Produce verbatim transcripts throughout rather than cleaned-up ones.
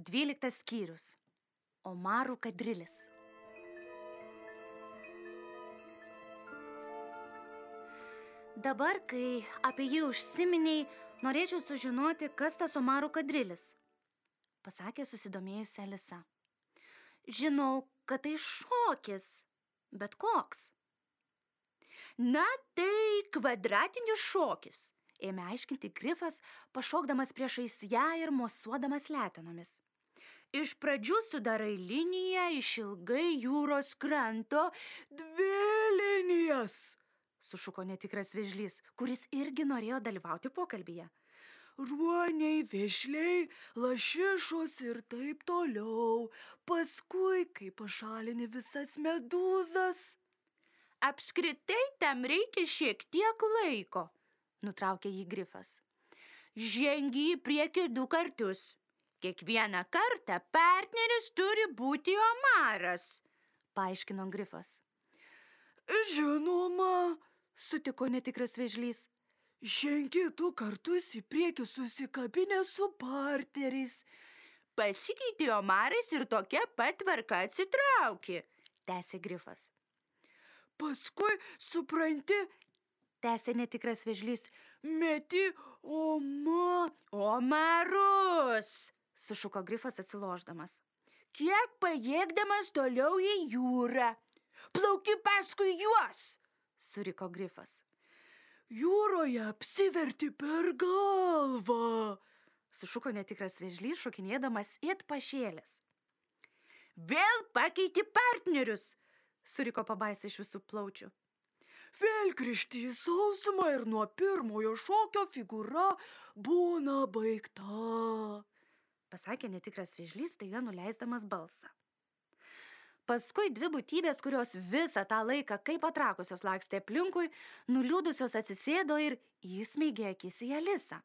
Dvyliktas skyrius. Omarų kadrilis. Dabar, kai apie jį užsiminiai, norėčiau sužinoti, kas tas Omarų kadrilis, pasakė susidomėjusi Alisa. Žinau, kad tai šokis, bet koks? Na, tai kvadratinis šokis, ėmė aiškinti Grifas, pašokdamas priešais ją ir mosuodamas letenomis. Iš pradžių sudarai liniją išilgai jūros kranto. Dvi linijas, sušuko netikras vėžlys, kuris irgi norėjo dalyvauti pokalbyje. Ruoniai, vėžliai, lašišos ir taip toliau. Paskui, kai pašalini visas medūzas. Apskritai tam reikia šiek tiek laiko, nutraukė jį Grifas. Žengi į priekį du kartus. Kiekvieną kartą partneris turi būti omaras, paaiškino Grifas. Žinoma, sutiko netikras vėžlys. Žengi du kartus į priekį susikabinę su partneriais. Pasikeitė omarais ir tokia pat tvarka atsitraukė, tęsė Grifas. Paskui, supranti, tęsė netikras vėžlys, meti oma... omarus, sušuko Grifas atsilošdamas. Kiek pajėgdamas toliau į jūrą. Plauki paskui juos, suriko Grifas. Jūroje apsiverti per galvą, sušuko netikras vėžlys, šokinėdamas it pašėlęs. Vėl pakeiti partnerius, suriko pabaisa iš visų plaučių. Vėl grįžti į sausumą ir nuo pirmojo šokio figūra būna baigta, pasakė netikras vėžlys, staiga nuleisdamas balsą. Paskui dvi būtybės, kurios visą tą laiką kaip atrakusios lakstė aplinkui, nuliūdusios atsisėdo ir įsmeigė akis į Alisą.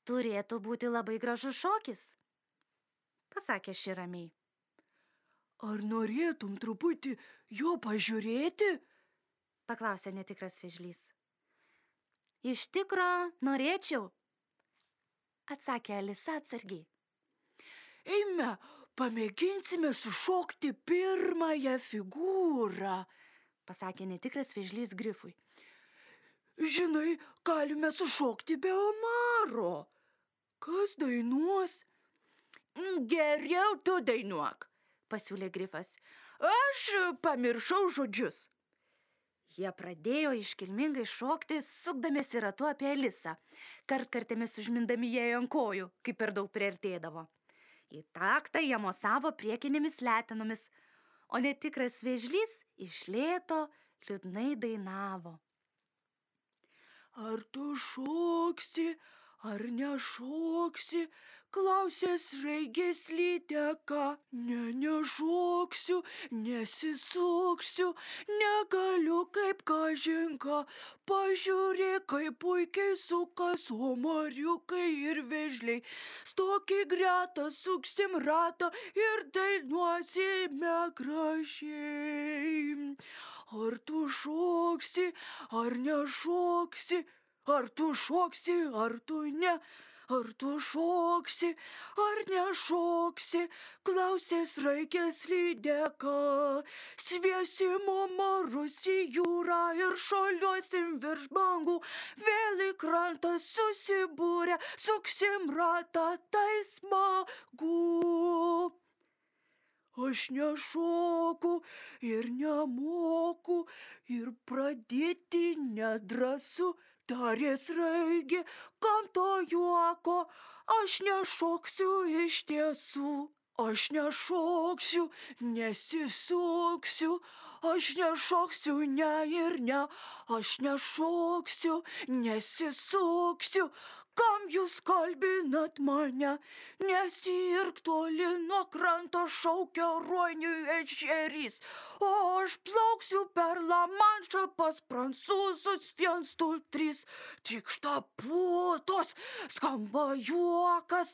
Turėtų būti labai gražus šokis, pasakė ši ramiai. Ar norėtum truputį jo pažiūrėti? Paklausė netikras vėžlys. Iš tikro norėčiau, atsakė Alisa atsargiai. Eime, pamėginsime sušokti pirmąją figūrą, pasakė netikras vėžlys Grifui. Žinai, galime sušokti be omaro. Kas dainuos? Geriau tu dainuok, pasiūlė Grifas. Aš pamiršau žodžius. Jie pradėjo iškilmingai šokti, sukdamiesi ratu apie Alisą, kartkartėmis užmindami jai ant kojų, kai per daug priartėdavo. Į taktą jie mosavo priekinėmis letenomis, o netikras vėžlys iš lėto liūdnai dainavo. Ar tu šoksi, ar nešoksi, klausė sraigės lydeka. Ne, nešoksiu, nesisuksiu, negaliu kaip kažinka. Pažiūrėk, kaip puikiai sukas omariukai ir vėžliai. Stok į gretą, suksim ratą ir dainuosime gražiai. Ar tu šoksi, ar nešoksi, ar tu šoksi, ar tu ne, ar tu šoksi, ar nešoksi, klausė sraigės lydeka. Sviesim omarus į jūrą ir šuoliuosim virš bangų, vėl į krantą susibūrę, suksim ratą, tai smagu. Aš nešoku ir nemoku ir pradėti nedrąsu, tarė sraigė, kam to juoko, aš nešoksiu iš tiesų. Aš nešoksiu, nesisuksiu, aš nešoksiu ne ir ne, aš nešoksiu, nesisuksiu. Kam jūs kalbinat mane? Nesirk toli nuo kranto, šaukia ruoniui ešerys. O aš plauksiu per Lamanšą pas prancūzus viens, du, trys. Tikšta putos, skamba juokas,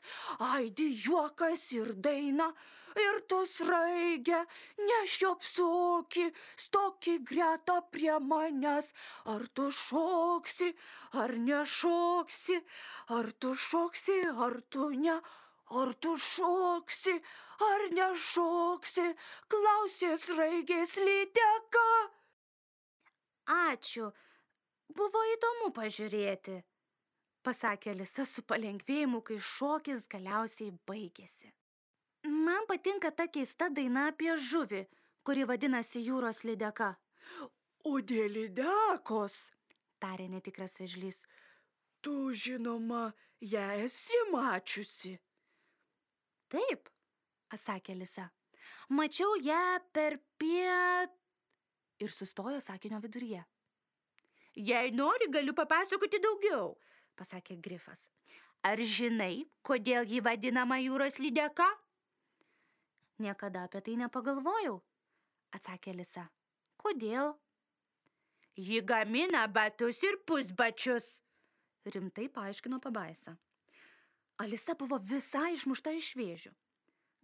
aidi juokas ir daina. Ir tu sraigė, nešiopsoki, stoki greta prie manęs. Ar tu šoksi, ar nešoksi, ar tu šoksi, ar tu ne, Ar tu šoksi, ar nešoksi, klausė sraigės lydeka. Ačiū, buvo įdomu pažiūrėti, pasakė Alisa su palengvėjimu, kai šokis galiausiai baigėsi. Man patinka ta keista daina apie žuvį, kuri vadinasi jūros lydeka. O dėl lydekos, tarė netikras vėžlys, tu žinoma, ją esi mačiusi. Taip, atsakė Alisa. Mačiau ją per piet... Ir sustojo sakinio viduryje. Jei nori, galiu papasakoti daugiau, pasakė Grifas. Ar žinai, kodėl ji vadinama jūros lydeka? Niekada apie tai nepagalvojau, atsakė Alisa. Kodėl? Ji gamina batus ir pusbačius, rimtai paaiškino pabaisa. Alisa buvo visai išmušta iš vėžių.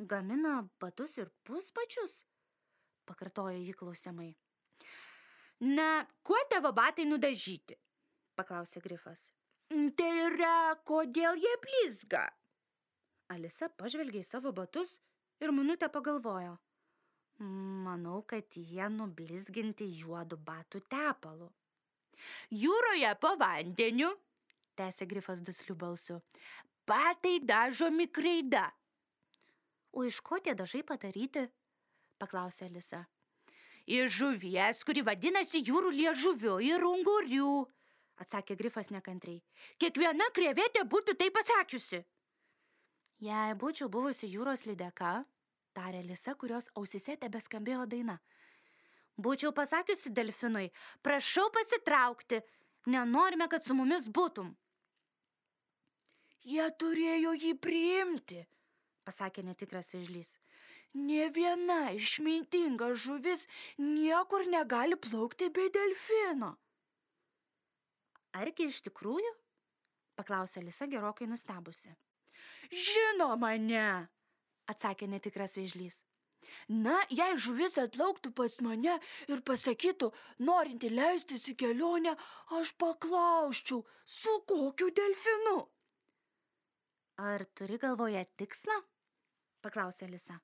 Gamina batus ir pusbačius? Pakartojo jį klausiamai. Na, kuo tavo batai nudažyti? Paklausė Grifas. Tai yra, kodėl jie blizga? Alisa pažvelgė į savo batus ir minutę pagalvojo. Manau, kad jie nublizginti juodu batų tepalu. Jūroje po vandeniu, tęsė Grifas dusliu balsu, batai dažomi kreida. O iš ko tie dažai padaryti? Paklausė Alisa. Iš žuvies, kuri vadinasi jūrų liežuviu, ir ungurių, atsakė Grifas nekantriai. Kiekviena krevetė būtų tai pasakiusi. Jei būčiau buvusi jūros lydeka, tarė Alisa, kurios ausyse tebeskambėjo daina. Būčiau pasakiusi delfinui, prašau pasitraukti, nenorime, kad su mumis būtum. Jie turėjo jį priimti, pasakė netikras vėžlys. Nė viena išmintinga žuvis niekur negali plaukti be delfino. Argi iš tikrųjų? Paklausė Alisa gerokai nustebusi. Žinoma, ne, atsakė netikras vėžlys. Na, jei žuvis atplauktų pas mane ir pasakytų, norinti leistis į kelionę, aš paklausčiau, su kokiu delfinu. Ar turi galvoje tikslą? Paklausė Alisa.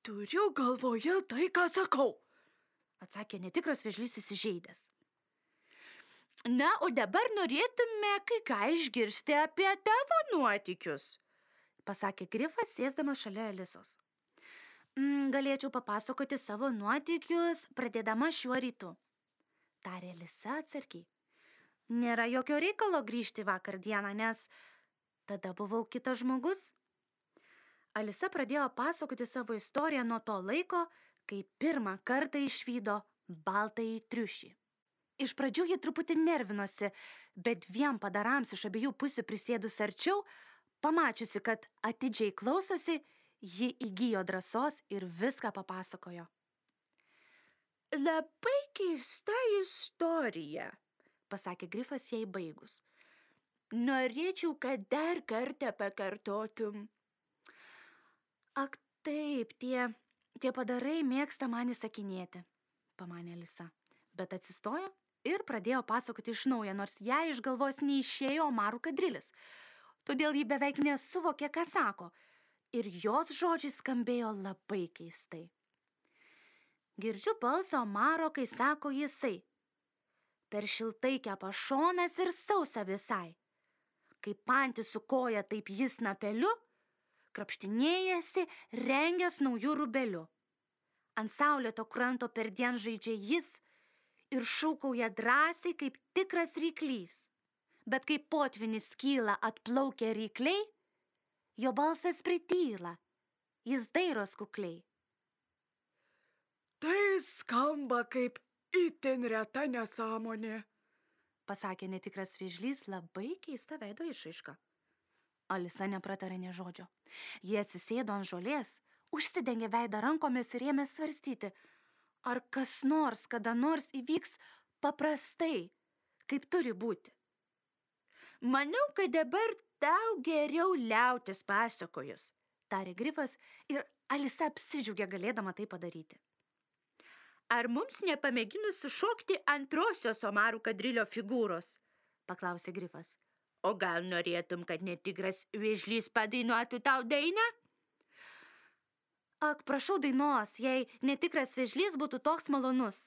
Turiu galvoje tai, ką sakau, atsakė netikras vėžlys įsižeidęs. Na, o dabar norėtume kai ką išgirsti apie tavo nuotykius, pasakė Grifas, sėsdamas šalia Alisos. Mm, galėčiau papasakoti savo nuotykius, pradėdama šiuo rytu, tarė Alisa atsargiai. Nėra jokio reikalo grįžti vakar dieną, nes tada buvau kitas žmogus. Alisa pradėjo pasakoti savo istoriją nuo to laiko, kai pirmą kartą išvydo baltąjį triušį. Iš pradžių ji truputį nervinosi, bet dviem padarams iš abiejų pusių prisėdus arčiau, pamačiusi, kad atidžiai klausosi, ji įgijo drąsos ir viską papasakojo. Labai keista istorija, pasakė Grifas jai baigus. Norėčiau, kad dar kartą pakartotum. Ak taip, tie, tie padarai mėgsta man įsakinėti, pamanė Alisa, bet atsistojo ir pradėjo pasakoti iš naujo, nors jai iš galvos neišėjo omarų kadrilis. Todėl ji beveik nesuvokė, ką sako, ir jos žodžiai skambėjo labai keistai. Girdžiu balsą omaro, kai sako jisai. Per šiltai kepa šonas ir sausa visai. Kai pantis su koja taip jis napeliu, krapštinėjasi, rengęs naujų rubelių. Ant saulėto kranto perdien žaidžia jis ir šūkauja drąsiai kaip tikras ryklys. Bet kai potvinis kyla atplaukia rykliai, jo balsas prityla, jis dairos kukliai. Tai skamba kaip itin reta nesąmonė, pasakė netikras vėžlys labai keista veido išraiška. Alisa nepratarė nė žodžio. Jie atsisėdo ant žolės, užsidengė veidą rankomis ir ėmė svarstyti, ar kas nors kada nors įvyks paprastai, kaip turi būti. Manau, kad dabar tau geriau liautis pasakojus, tarė Grifas ir Alisa apsidžiaugė galėdama tai padaryti. Ar mums nepamėginus sušokti antrosios omarų kadrilio figūros? Paklausė Grifas. O gal norėtum, kad netikras vėžlys padainuotų tau dainą? Ak, prašau dainos, jei netikras vėžlys būtų toks malonus,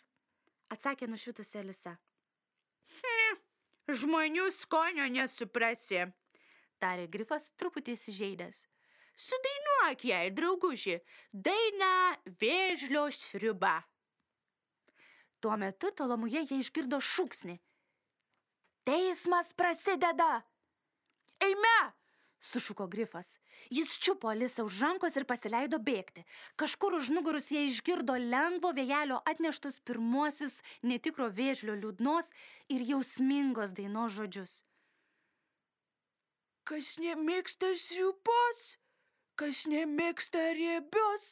atsakė nušvitusi Alisa. Hm, žmonių skonio nesuprasi, tarė Grifas truputį įsižeidęs. Sudainuok jai, drauguži, dainą vėžlio sriuba. Tuo metu tolumoje jie išgirdo šūksnį. Teismas prasideda! Eime! Sušuko Grifas. Jis čiupo Alisą už rankos ir pasileido bėgti. Kažkur už nugarus jie išgirdo lengvo vėjelio atneštus pirmuosius netikro vėžlio liūdnos ir jausmingos dainos žodžius. Kas nemėgsta sriubos, kas nemėgsta riebios,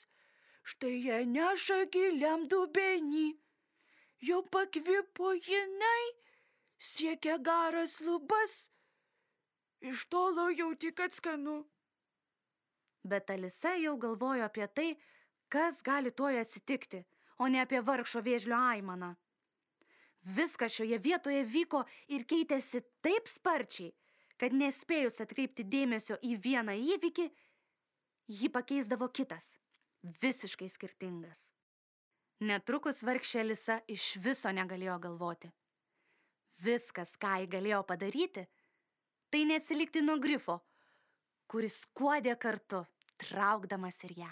štai ją neša giliam dubenį. Jau pakvipo jinai, siekia garas lubas, iš tolo jau tik atskanu. Bet Alisa jau galvojo apie tai, kas gali tuoj atsitikti, o ne apie vargšo vėžlio aimaną. Viskas šioje vietoje vyko ir keitėsi taip sparčiai, kad nespėjus atkreipti dėmesio į vieną įvykį, jį pakeisdavo kitas, visiškai skirtingas. Netrukus vargšė Alisa iš viso negalėjo galvoti. Viskas, ką ji galėjo padaryti, tai neatsilikti nuo Grifo, kuris skuodė kartu, traukdamas ir ją.